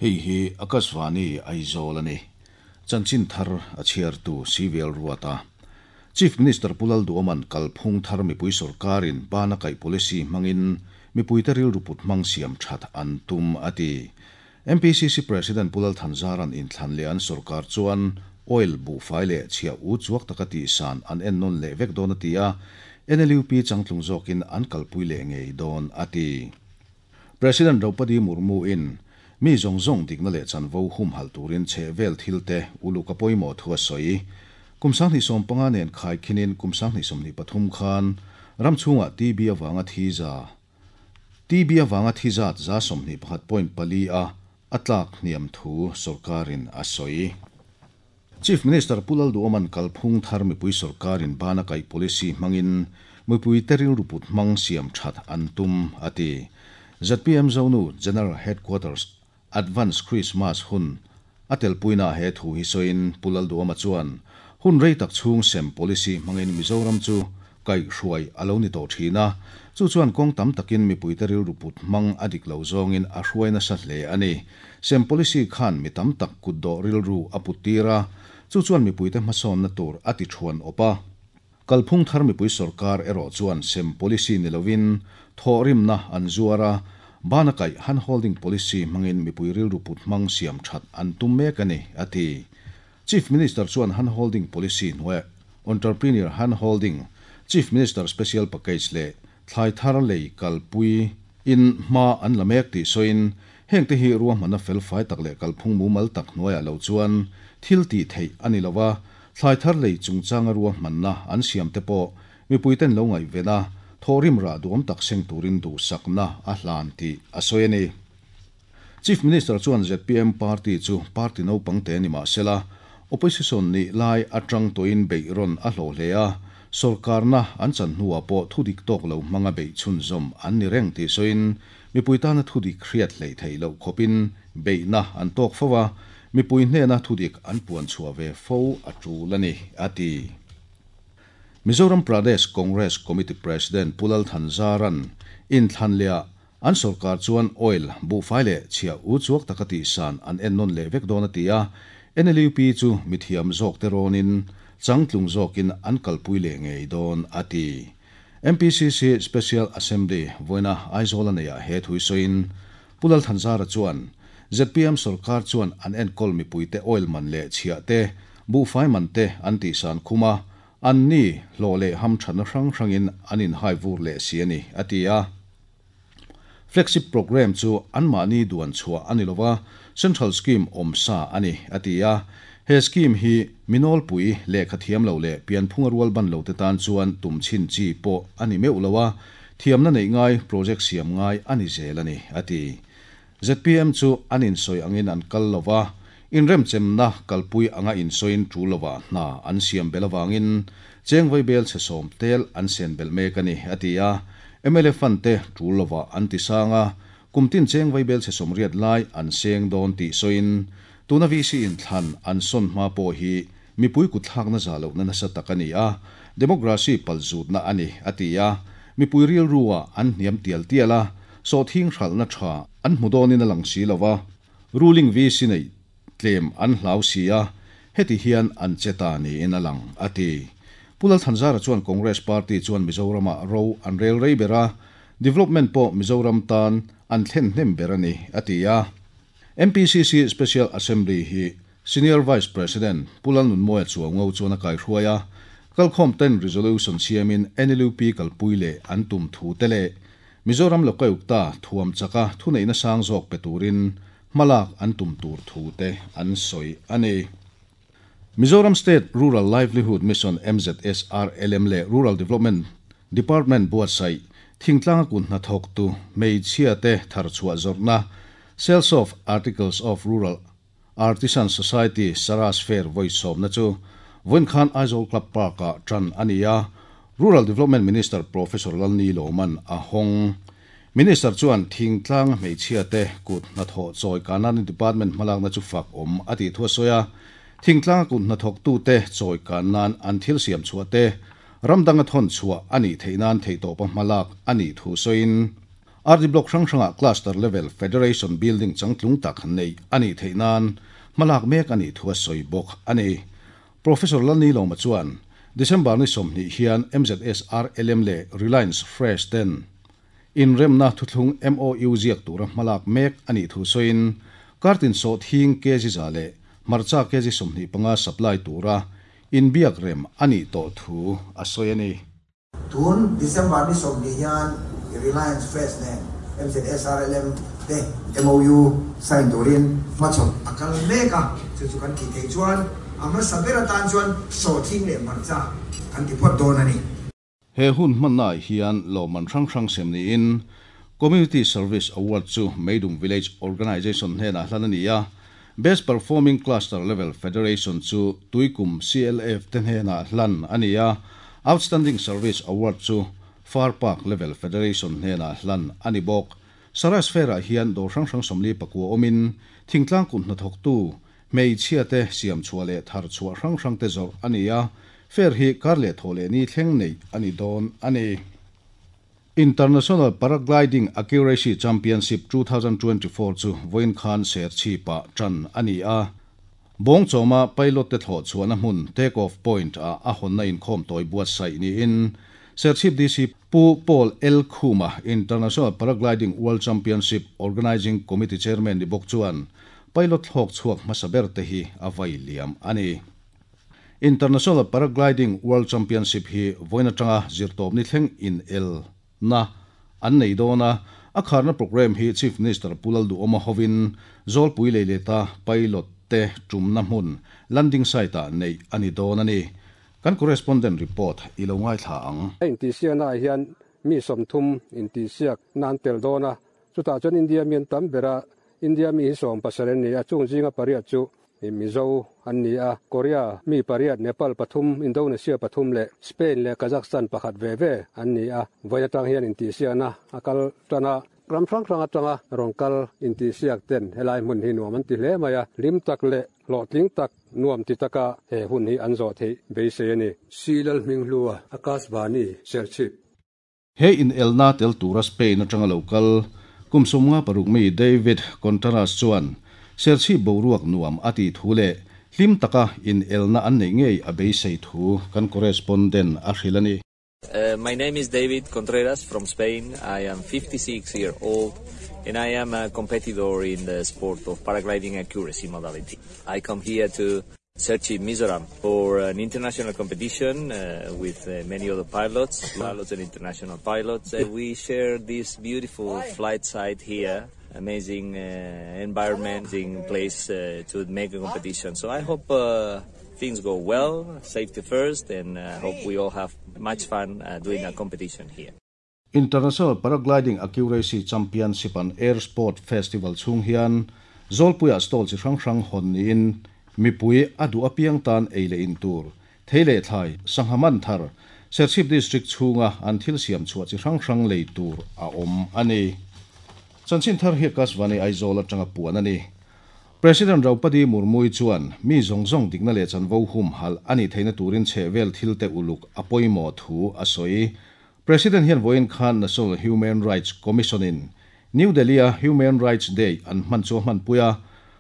Hei hi Akashvani Aizawl a ni. Chanchin thar a chhiartu CVL Ruata. Chief Minister Pu Lalduhoma'n kalphung thar mipui sorkarin bana kaih policy hmangin mipuite rilru put hmang siam that an tum a ti. MPCC President Pu Lal Thanzara'n inthlan leh an sorkar chuan oil, buhfai leh chhiah u chuak taka tihsan an ennawn leh vek dawn a ti a, NLUP changtlung zawkin an kalpui leh ngei dawn a ti. President Draupadi Murmu-in mi zawng zawng dikna leh chanvo humhalh turin chhehvel thilte uluk a pawimawh thu a sawi. Kum 2015 nen khaikhinin kum 2023 khan ram chhungah TB avanga thi za TB avanga thi zat 21 point pali a a tlak hniam thu sorkarin a sawi. Chief Minister Pu Lalduhoma'n kalphung thar mipui sorkarin bana kaih policy hmangin mipuite rilru put hmang siam that an tum a ti. ZPM Zonu General Headquarters Advance Christmas hun a telpuina he thu hi sawiin Pu Lalduhoma chuan hun rei tak chhung sem policy hmangin Mizoram chu kaihhruai a lo ni tawh thin a, chu chuan kawng tam takin mipuite rilru put hmang a dik lo zawngin a hruai nasa hle a ni. Sem policy khan mi tam tak kutdawh rilru a put tir a, chu chuan mipuite hmasawnna tur a ti thuan awp a. Kalphung thar mipui sorkar erawh chuan sem policy ni lovin thawhrimna an zuar a, bana kaih hand holding policy hmangin mipui rilru put hmang siam that an tum mek a ni, a ti. Chief Minister chuan hand holding policy hnuaiah Entrepreneur Hand Holding, Chief Minister Special Package leh thlai thar lei kalpui in hma an la mek tih sawiin, hengte hi ruahmanna felfai tak leh kalphung mumal tak hnuaiah lo chuan thil tih theih a ni lo a, thlai thar lei chungchanga ruahmanna an siam te pawh mipuiten lo ngaihven a, thawhrim rah duhawm tak seng turin duhsakna a hlan tih a sawi a ni. Chief Minister chuan zpm party chu party naupang te ni mah sela, opposition nih lai atang tawhin beih rawn a hlawh hle a, sorkarna an chan hnuah pawh thudik tawk lo hmanga beih chhunzawm an ni reng tih sawiin, mipui tana thudik hriat hleih theih loh khawpin beihna an tawk fo a, mipui hnena thudik an puan chhuah ve fo a tul a ni, a ti. Mizoram Pradesh Congress Committee President Pu Lal Thanzara'n inthlan lehah An sorkar chuan oil, buhfai leh chhiah u chuak taka tihsan an ennawn leh vek dawn a ti a, NLUP chu mithiam zawkte rawnin changtlung zawkin an kalpui leh ngei dawn a ti. MPCC Special Assembly vawiina Aizawl a neiah he thui sawiin Pu Lalthanzara chuan zpm sorkar chuan an enkawl mipuite oil man leh chhiah te, buhfai man te an tihsan khum a, anni hlawh leh hamthatna hrang hrangin an inhai vur leh si a ni, a ti a. Flagship Programme chu anmahni duan chhuah a ni lova, Central Scheme awm sa a ni, a ti a. He scheme hi mi nawlpui, lehkha thiam lo leh pianphunga rual ban lote tan chuan tum chhin chi pawh a ni meuh lo a, thiamna neih ngai, project siam ngai a ni zel a ni, a ti. Zpm chu an insawi angin an kal lo va, inremchemna kalpui anga insawiin tul lovah hna an siam belh avangin cheng vaibel chhe sawm tel an sen belh mek a ni, a ti a. Mla fund te tul lovah an ti sang a, kum tin cheng vaibel chhe 80 lai an seng dawn tih sawiin tuna VC inthlan an sawn hma pawh hi mipui kutthlakna zah lohna nasa tak a ni a, democracy palzutna a ni, a ti a. Mipui rilru-ah an hniam tial tial a, sawhthing hralhna tha an hmu dawnin a lang si lo a, ruling VC neih tlem an hlau si a, heti hian an che ta niin a lang, a ti. Pu Lalthanzara chuan Congress party chuan Mizoramah ro an rel rei ber a, development pawh Mizoram tan an thlen hnem ber a ni, a ti a. MPCC Special Assembly hi Senior Vice President Pu Lalnunmawia Chuaungo chuan a kaihruai a, kalkhawm ten resolution siamin NLUP kalpui leh an tum thu te leh Mizoram Lokayukta thuam chaka thuneihna sang zawk pe turin hmalak an tum tur thu te an sawi a ni. Mizoram State Rural Livelihood Mission, MZSRLM, leh Rural Development Department buatsaih thingtlanga kun hnathawktu hmeichhia te tharchhuah zawrhna Sales of Articles of Rural Artisan Society Saras Fair vawi sawmna chu vawiin khan Aizawl Club Park-ah tan a ni a, Rural Development Minister Professor Lalni Lawman a hawng. Minister chuan thingtlanga hmeichhia te kut hnathawh chawi kanan department hmalakna chu fak awm a tih thu a sawi a, thingtlanga kut hnathawktute chawi kan nan an thil siam chhuah te ram danga thawn chhuah a nih theih nan theihtawpa hmalak a nih thu sawiin, RD Block hrang hrangah Cluster Level Federation Building changtlung tak neih a nih theih nan hmalak mek a nih thu a sawi bawk a ni. Professor Lalnilawma chuan December ni 20 hian MZSRLM leh Reliance Fresh ten inremna thuthlung MOU ziak tura hmalak mek a nih thu sawiin, kartin sawhthing kg 100 leh hmarcha kg 25 supply tura inbiak rem a nih tawh thu a sawi a ni. Tun December ni 20 hian Reliance Fresh nen MZSRLM te MOU sign turin hmachhawp a kal mek a, chu chu kan tih theih chuan a hmasa ber atan chuan sawhthing leh hmarcha kan ti phawt dawn a ni. He hun hmannaah hian lawmman hrang hrang sem niin Community Service Award chu Meidum Village Organisation hnenah hlan a ni a, Best Performing Cluster Level Federation chu Tuikum CLF te hnenah hlan a ni a, Outstanding Service Award chu Far Park Level Federation hnenah hlan a ni bawk. Saras Fair-ah hian dawr hrang hrang 49 awmin thingtlang kut hnathawktu hmeichhia te siam chhuah leh thar chhuah hrang hrang te zawrh a ni a, fair hi kar leh thaw leh ni thleng neih a ni dawn a ni. International Paragliding Accuracy Championship 2024 chu vawiin khan Serchhip-ah tan a ni a. Bawngchawma pilot te thlawh chhuahna hmun take off point ah a hawnna inkhawm tawi buatsaih niin Serchhip DC Pu Paul L Khuma, International Paragliding World Championship Organising Committee Chairman ni bawk chuan pilot thlawk chhuak hmasa ber te hi a vai liam a ni. International Paragliding World Championship hi vawiin atanga zirtawp ni thleng in el na an nei dawn a, a kharna programme hi Chief Minister Pu Lalduhawma hovin Zawlpui Leileta pilot te tumna hmun landing site ah neih a ni dawn a ni. Kan correspondent report i lo ngaithla ang. A intihsiaknaah hian mi 30 intihsiak na an tel dawn a, chutah chuan India mi an tam ber a, India mi hi 17 an ni a, chung zinga pariat chu Mizo an ni a, Korea mi pariat, Nepal pathum, Indonesia pathum leh Spain leh Kazakhstan pakhat ve ve an ni a, vawiin atang hian intihsiakna a kal tan a. Ram hrang hrang atanga rawn kal intihsiak ten helai hmun hi nuam an ti hle mai a, hlim tak leh hlawhtling tak nuam ti taka he hun hi an zawh theih beisei a ni. Silal Hminghlua, Akashvani, Serchhip. He inelna tel tura Spain atanga lo kal kum 56 mi David Contreras chuan Serchhip boruak nuam a tih thu leh hlim taka inelna an neih ngei a beisei thu kan correspondent a hrilh a ni. My name is David Contreras from Spain. I am 56 year old and I am a competitor in the sport of paragliding accuracy modality. I come here to Serchhip, Mizoram for an international competition with many other pilots, pilots and international pilots. We share this beautiful flight site here, amazing environment, amazing place to make a competition. So I hope things go well, safety first, and hope we all have much fun doing a competition here. International Paragliding Accuracy Championship and Air Sport Festival chhung hian Zawlpuiah stall chi hrang hrang hawn niin mipui a duh apiang tan ei leh in tur, thei leh thlai, sangha man thar, Serchhip District chhunga an thil siam chhuah chi hrang hrang lei tur a awm a ni. Chanchin thar hi Akashvani Aizawl atanga puan a ni. President Draupadi Murmu-i chuan mi zawng zawng dikna leh chanvo humhalh a nih theihna turin chhehvel thil te uluk a pawimawh thu a sawi. President hian vawiin khan National Human Rights Commission-in New Delhi-a Human Rights Day an hman chu a hmanpui a.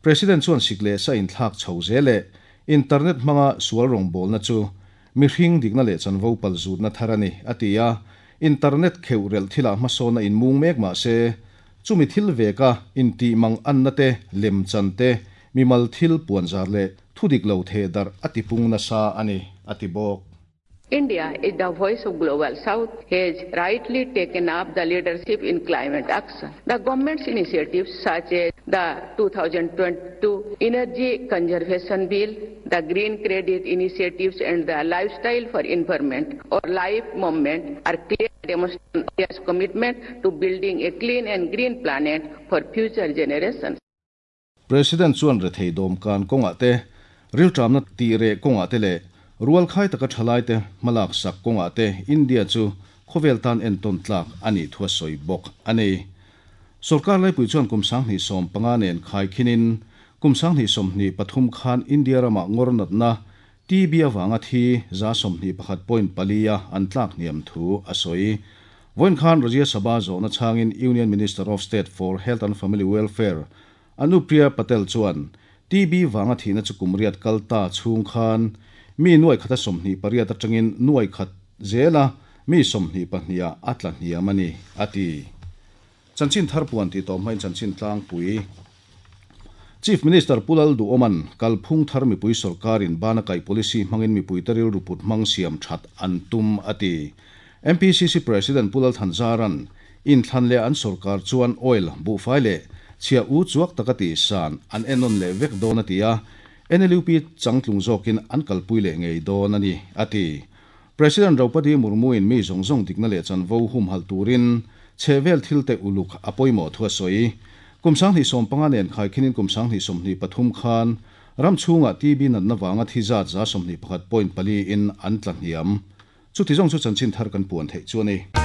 President chuan sik leh sa inthlak chho zel leh internet hmanga sual rawngbawlna chu mihring dikna leh chanvo palzutna thar a ni, a ti a. Internet kheuh relh thilah hmasawnna inmung mek mah se, chumi thil veka intih mang anna te, lemchan te, mimal thil puanzar leh thudik lo theh darh a tipung nasa a ni, a ti bawk. India is the voice of Global South has rightly taken up the leadership in climate action. The government's initiatives such as the 2022 Energy Conservation Bill, the Green Credit Initiatives and the Lifestyle for Environment or LIFE movement are clear demonstration of India's commitment to building a clean and green planet for future generations. President chuan rethei dawmkan kawngah te, rilṭamna tih reh kawngah te leh rualkhai taka ṭhalaite hmalak sak kawngah te India chu khawvel tan entawn tlak a nih thu a sawi bawk a ni. Sorkar laipui chuan kum 2015 nen khaikhinin kum 2023 khan India ramah ngawr natna TB avanga thi 21.4 a an tlak hniam thu a sawi. Vawiin khan Rajya Sabha zawhna chhangin Union Minister of State for Health and Family Welfare Anupriya Patel chuan TB vanga thihna chu kum riat kal ta chhung khan mi nuai khata 28 atangin nuai khat zela mi 22 ah a tla hniam a ni, a ti. Chanchin thar puan tih tawh hmain chanchin tlangpui Chief Minister Pu Lalduhawma'n kalphung thar mipui sorkarin bana kaih policy hmangin mipuite rilru put hmang siam that an tum a ti. MPCC President Pu Lalthanzara'n inthlan leh an sorkar chuan oil, buhfai leh chhia u chuak taka tihsan an enawn leh vek dawn a ti a, NLUP changtlung zawkin an kalpui leh ngei dawn a ni, a ti. President Draupadi Murmu-in mi zawng zawng dikna leh chanvo humhalh turin chhehvel thilte uluk a pawimawh thu a sawi. Kum 2015 nen khaikhinin kum 2023 khan ram chhungah TB natna vanga thi zat 21.4 in an tla hniam. Chuti zawng chu chanchin thar kan puan theih chu a ni.